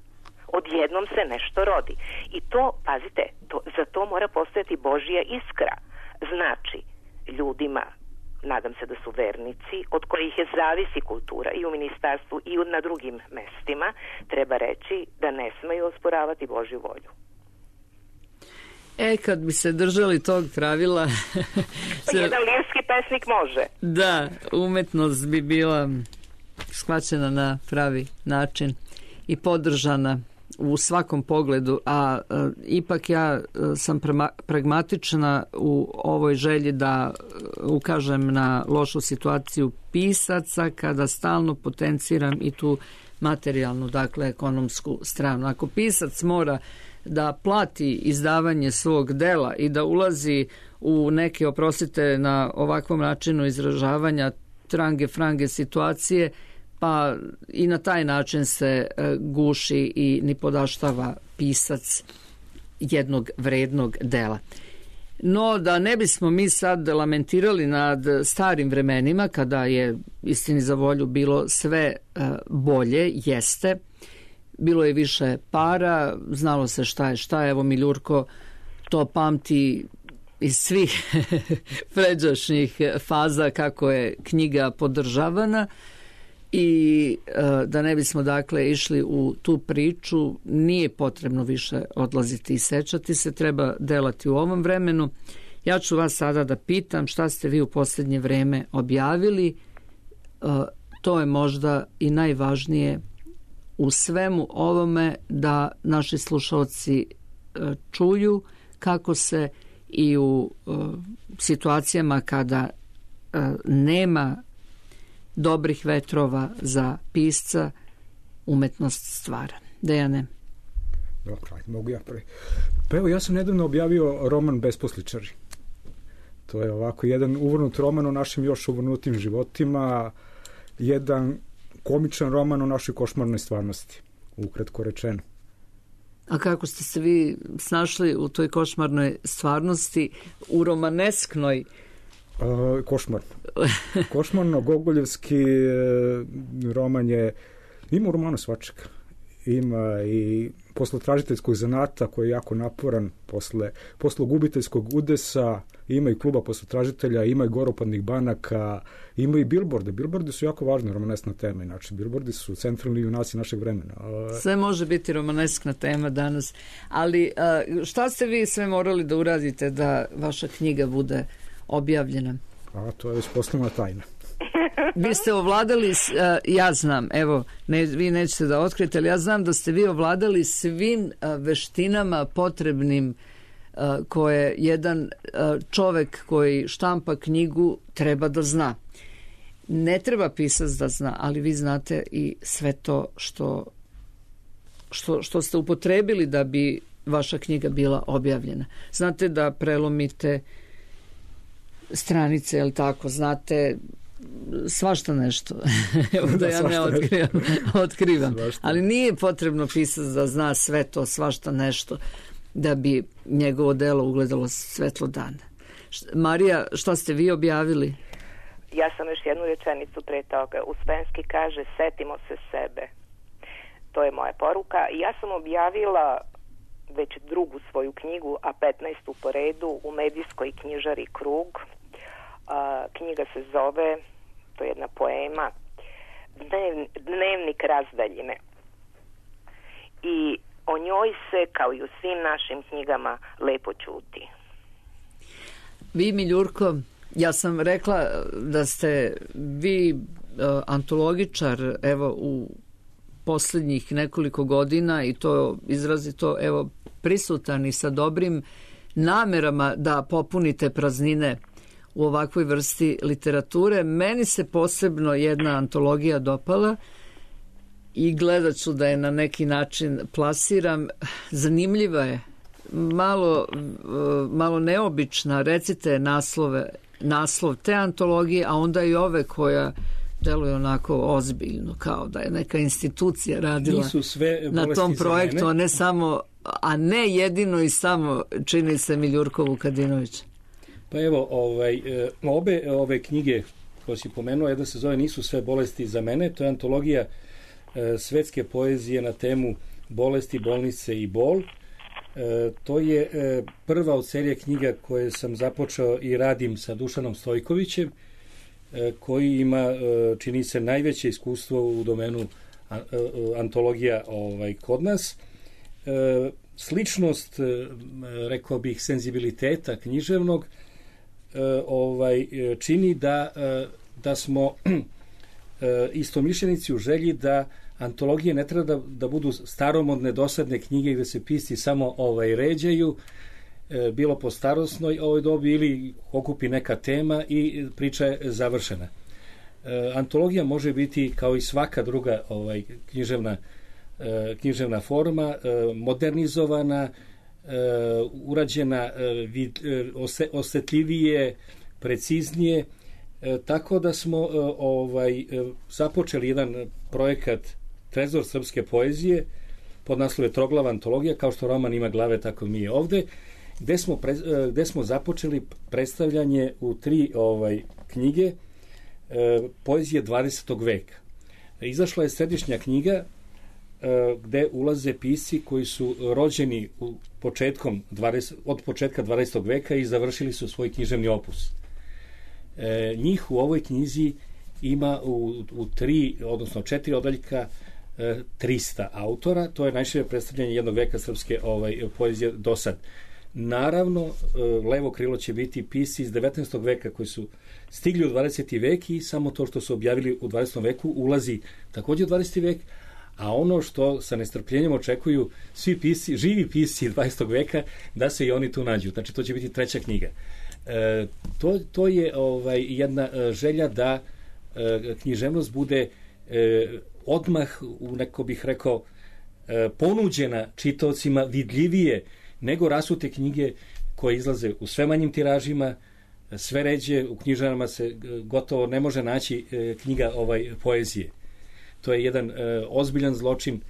Odjednom se nešto rodi. I to, pazite, to, za to mora postojati Božja iskra. Znači, ljudima, nadam se da su vernici, od kojih je zavisi kultura i u ministarstvu i na drugim mestima, treba reći da ne smeju osporavati Božju volju. E, kad bi se držali tog pravila... se... Jedan lirski pesnik može. Da, umetnost bi bila shvaćena na pravi način i podržana u svakom pogledu, a, a ipak ja a, sam prema, pragmatična u ovoj želji da a, ukažem na lošu situaciju pisaca kada stalno potenciram i tu materijalnu, dakle ekonomsku stranu. Ako pisac mora da plati izdavanje svog dela i da ulazi u neke, oprostite na ovakvom načinu izražavanja, trange frange situacije, pa i na taj način se guši i nipodaštava pisac jednog vrednog dela. No, da ne bismo mi sad lamentirali nad starim vremenima, kada je, istini za volju, bilo sve bolje, jeste, bilo je više para, znalo se šta je šta, evo Miljurko to pamti iz svih pređašnjih faza kako je knjiga podržavana. I da ne bismo dakle išli u tu priču, nije potrebno više odlaziti i sećati se, treba delati u ovom vremenu. Ja ću vas sada da pitam šta ste vi u posljednje vreme objavili. To je možda i najvažnije u svemu ovome, da naši slušalci čuju kako se i u situacijama kada nema dobrih vetrova za pisca, umetnost stvara. Dejane? Dobro, ajde, mogu ja prvi. Pa evo, ja sam nedavno objavio roman Besposličari. To je ovako jedan uvrnut roman o našim još uvrnutim životima, jedan komičan roman o našoj košmarnoj stvarnosti, ukratko rečeno. A kako ste se vi snašli u toj košmarnoj stvarnosti, u romanesknoj? Uh, košmarno. Košmarno, gogoljevski roman je, ima u romanu svačega. Ima i posle tražiteljskog zanata koji je jako naporan, posle, posle gubiteljskog udesa, ima i kluba posle tražitelja, ima i goropadnih banaka, ima i bilborde. Bilbordi su jako važna romanesna tema, inače bilbordi su centralni junaci našeg vremena. Sve može biti romaneskna tema danas, ali šta ste vi sve morali da uradite da vaša knjiga bude objavljena? A to je već poslovna tajna. Vi ste ovladali, ja znam, evo, ne, vi nećete da otkrijete, ali ja znam da ste vi ovladali svim veštinama potrebnim koje jedan čovek koji štampa knjigu treba da zna. Ne treba pisac da zna, ali vi znate i sve to što, što, što ste upotrebili da bi vaša knjiga bila objavljena. Znate da prelomite stranice, je li tako, znate svašta nešto. Evo da ja ne otkrivam. otkrivam. Ali nije potrebno pisac da zna sve to, svašta nešto, da bi njegovo delo ugledalo svetlo dana. Marija, šta ste vi objavili? Ja sam još jednu rečenicu pre toga. Uspenski kaže, setimo se sebe. To je moja poruka. Ja sam objavila već drugu svoju knjigu, a petnaestu po redu, u medijskoj knjižari Krug. A, knjiga se zove, to je jedna poema, Dnev, Dnevnik razdaljine. I o njoj se, kao i u svim našim knjigama, lepo ćuti. Vi, Miljurko, ja sam rekla da ste vi uh, antologičar, evo, u posljednjih nekoliko godina, i to izrazito, evo, prisutan i sa dobrim namerama da popunite praznine u ovakvoj vrsti literature. Meni se posebno jedna antologija dopala i gledat ću da je na neki način plasiram. Zanimljiva je, malo, malo neobična. Recite naslove, naslov te antologije, a onda i ove koja deluje onako ozbiljno, kao da je neka institucija radila na tom projektu, a ne samo, a ne jedino i samo, čini se, Miljurko Vukadinović. Pa evo, ovaj, obe ove knjige koje si pomenuo, jedna se zove Nisu sve bolesti za mene, to je antologija e, svetske poezije na temu bolesti, bolnice i bol. E, to je e, prva od serije knjiga koje sam započeo i radim sa Dušanom Stojkovićem, e, koji ima, e, čini se, najveće iskustvo u domenu a, a, antologija ovaj, kod nas. E, sličnost, e, rekao bih, senzibiliteta književnog ovaj čini da, da smo istomišljenici u želji da antologije ne treba da, da budu staromodne, dosadne knjige gde se pisci samo ovaj ređaju, bilo po starosnoj ovoj dobi ili okupi neka tema i priča je završena. Antologija može biti kao i svaka druga ovaj književna književna forma, modernizovana, Uh, urađena uh, vid, uh, ose, osetljivije, preciznije, uh, tako da smo uh, ovaj uh, započeli jedan projekat Trezor srpske poezije pod naslove Troglava antologija, kao što roman ima glave, tako mi je ovde, gde smo, pre, uh, gde smo započeli predstavljanje u tri ovaj knjige uh, poezije dvadesetog veka. Izašla je središnja knjiga gde ulaze pisci koji su rođeni u početkom dvadesetog od početka dvadesetog veka i završili su svoj književni opus. E, njih u ovoj knjizi ima u, u tri, odnosno četiri odeljka e, trista autora. To je najšire predstavljanje jednog veka srpske ovaj, poezije do sad. Naravno, e, levo krilo će biti pisci iz devetnaestog veka koji su stigli u dvadeseti vek i samo to što su objavili u dvadesetom veku ulazi takođe u dvadeseti vek, a ono što sa nestrpljenjem očekuju svi pisci, živi pisci dvadesetog veka, da se i oni tu nađu. Znači, to će biti treća knjiga. E, to, to je ovaj, jedna želja da e, književnost bude e, odmah, u neko bih rekao, e, ponuđena čitaocima vidljivije nego rasute knjige koje izlaze u sve manjim tiražima, sve ređe, u knjižarama se gotovo ne može naći e, knjiga ovaj poezije. To je jedan e, ozbiljan zločin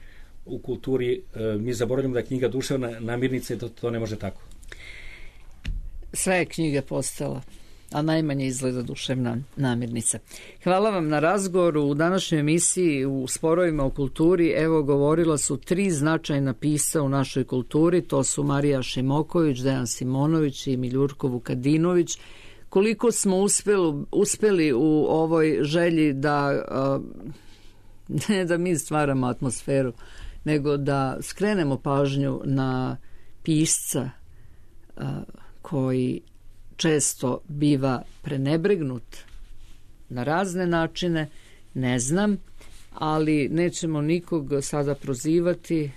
u kulturi. E, mi zaboravljamo da je knjiga duševna namirnica i to, to ne može tako. Sve je knjige postala, a najmanje izgleda duševna namirnica. Hvala vam na razgovoru. U današnjoj emisiji u Sporovima u kulturi, evo, govorila su tri značajna pisca u našoj kulturi. To su Marija Šimoković, Dejan Simonović i Miljurko Vukadinović. Koliko smo uspeli, uspeli u ovoj želji da... A, ne da mi stvaramo atmosferu, nego da skrenemo pažnju na pisca a, koji često biva prenebregnut na razne načine, ne znam, ali nećemo nikog sada prozivati,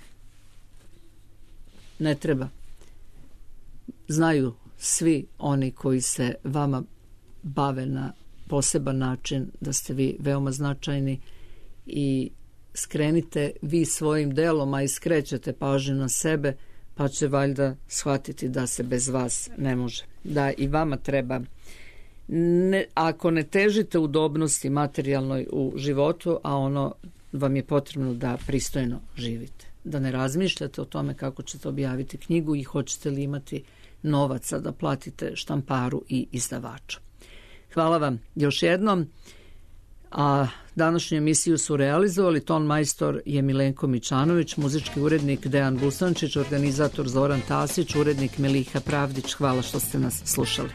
ne treba. Znaju svi oni koji se vama bave na poseban način da ste vi veoma značajni i skrenite vi svojim delom, a i skrećete pažnju na sebe, pa će valjda shvatiti da se bez vas ne može. Da i vama treba ne, ako ne težite udobnosti materijalnoj u životu, a ono vam je potrebno da pristojno živite, da ne razmišljate o tome kako ćete objaviti knjigu i hoćete li imati novaca da platite štamparu i izdavača. Hvala vam još jednom. A današnju emisiju su realizovali ton majstor je Milenko Mičanović, muzički urednik Dejan Busančić, organizator Zoran Tasić, urednik Meliha Pravdić. Hvala što ste nas slušali.